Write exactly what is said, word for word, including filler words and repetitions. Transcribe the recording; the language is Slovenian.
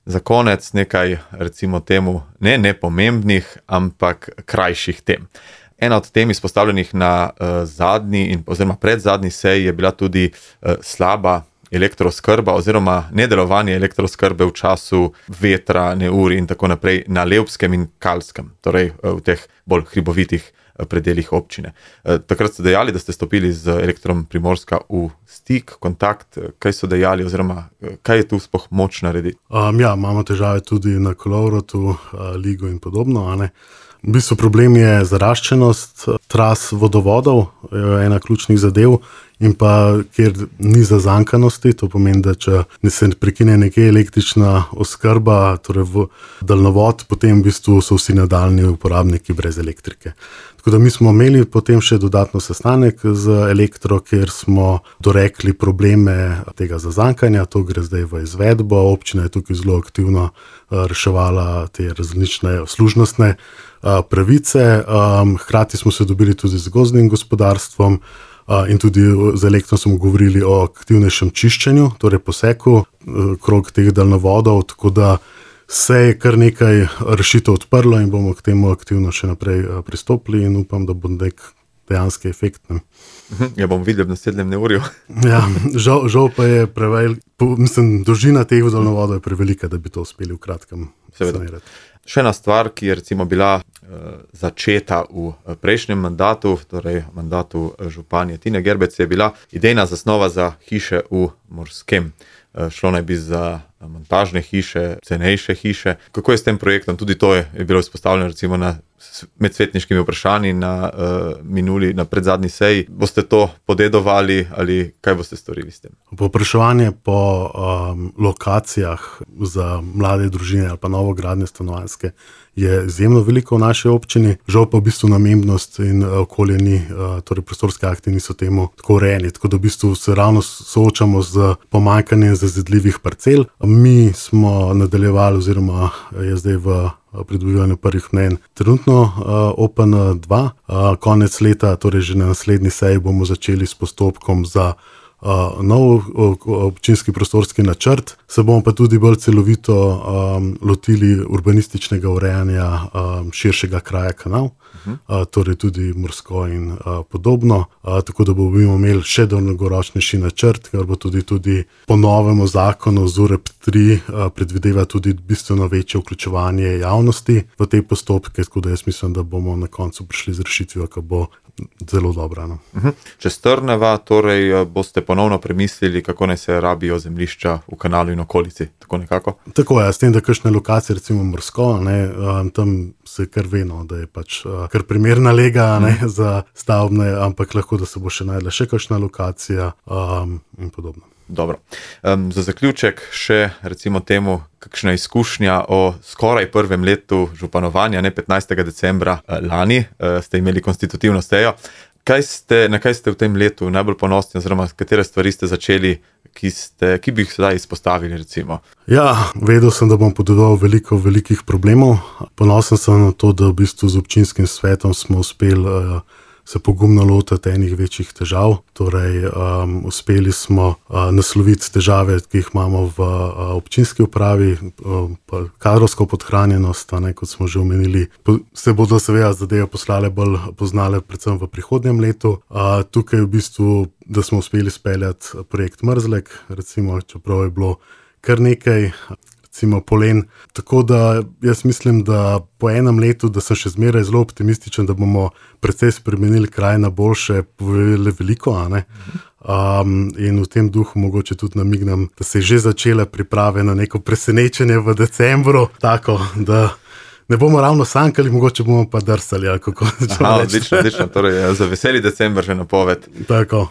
Za konec nekaj, recimo temu, ne nepomembnih, ampak krajših tem. Ena od tem izpostavljenih na uh, zadnji in oziroma predzadnji seji je bila tudi uh, slaba elektrooskrba oziroma nedelovanje elektrooskrbe v času vetra, neurij in tako naprej na Levskem in Kalskem, torej uh, v teh bolj hribovitih uh, predeljih občine. Uh, takrat ste dejali, da ste stopili z Elektrom Primorska v stik, kontakt, kaj so dejali oziroma uh, kaj je tu sploh moč narediti? Um, ja, imamo težave tudi na Kolovrotu, uh, Ligu in podobno, a ne. V bistvu problem je zaraščenost tras vodovodov, je ena ključnih zadev, in pa kjer ni zazankanosti, to pomeni, da če se prekine nekje električna oskrba, torej v daljnovod, potem v bistvu so vsi nadaljni uporabniki brez elektrike. Tako da mi smo imeli potem še dodatno sestanek z Elektro, kjer smo dorekli probleme tega zazankanja, to gre zdaj v izvedbo, občina je tukaj zelo aktivno reševala te različne služnostne pravice, hkrati smo se dobili tudi z gozdnim gospodarstvom, in tudi z Elektrom smo govorili o aktivnejšem čiščenju, torej poseku krog teh daljnovodov, tako da se je kar nekaj rešitev odprlo in bomo k temu aktivno še naprej pristopili in upam, da bo nek dejanski efekt. Ne. Ja, bom videl v naslednjem neurju. Ja, žal, žal pa je prevelik, mislim, dolžina teh daljnovodov je prevelika, da bi to uspeli v kratkem sanirati. Še ena stvar, ki je recimo bila uh, začeta v prejšnjem mandatu, torej mandatu županje Tine Gerbec, je bila idejna zasnova za hiše v Morskem. Uh, šlo naj bi za montažne hiše, cenejše hiše. Kako je s tem projektom? Tudi to je, je bilo izpostavljeno recimo na medsvetniškimi vprašanji na uh, minuli, na predzadnji seji. Boste to podedovali ali kaj boste storili s tem? Povpraševanje po um, lokacijah za mlade družine ali pa novogradnje stanovanjske je izjemno veliko v naši občini, žal pa v bistvu namembnost in okolje ni, torej prostorske akti niso temu tako urejeni, tako da v bistvu se ravno soočamo z pomanjkanjem zazidljivih parcel. Mi smo nadaljevali oziroma je zdaj v pridobivanju prvih mnenj trenutno O P N dva, konec leta, torej že na naslednji seji bomo začeli s postopkom za Uh, nov občinski prostorski načrt, se bomo pa tudi bolj celovito um, lotili urbanističnega urejanja um, širšega kraja Kanal, uh-huh. uh, torej tudi Morsko in uh, podobno, uh, tako da bomo imeli še dolgoročnejši načrt, ker bo tudi, tudi po novemu zakonu Z U R E P tri uh, predvideva tudi bistveno večje vključevanje javnosti v te postopke, tako da jaz mislim, da bomo na koncu prišli z rešitvijo, ki bo zelo dobra. No. Uh-huh. Če strneva, torej boste ponovno premislili, kako naj se rabijo zemljišča v Kanalu in okolici, tako nekako? Tako je, s tem, da kakšne lokacije, recimo Morsko, ne, tam se kar veno, da je pač kar primerna lega ne, uh-huh. za stavbne, ampak lahko, da se bo še najdla še kakšna lokacija um, in podobno. Dobro. Um, za zaključek še recimo temu, kakšna izkušnja o skoraj prvem letu županovanja, ne petnajstega decembra lani, uh, ste imeli konstitutivno sejo. Kaj ste, na kaj ste v tem letu najbolj ponosni, oziroma katere stvari ste začeli, ki, ste, ki bi jih sedaj izpostavili recimo? Ja, vedel sem, da bom podedoval veliko velikih problemov. Ponosen sem na to, da v bistvu z občinskim svetom smo uspeli uh, se pogumno lotiti enih večjih težav. Torej, um, uspeli smo uh, nasloviti težave, ki jih imamo v uh, občinski upravi, uh, pa kadrovsko podhranjenost, ne, kot smo že omenili. Po, se bodo seveda zadeve poslale bolj poznale predvsem v prihodnjem letu. Uh, tukaj v bistvu, da smo uspeli speljati projekt Mrzlek, recimo, čeprav je bilo kar nekaj, recimo polen. Tako da jaz mislim, da po enem letu, da sem še zmeraj zelo optimističen, da bomo precej spremenili kraj na boljše, povedali veliko, a ne? Um, in v tem duhu mogoče tudi namignem, da se je že začela priprave na neko presenečenje v decembru, tako da ne bomo ravno sankali, mogoče bomo pa drsali, ali kako. Aha, odlično, odlično, torej za veseli december že napoved. Tako.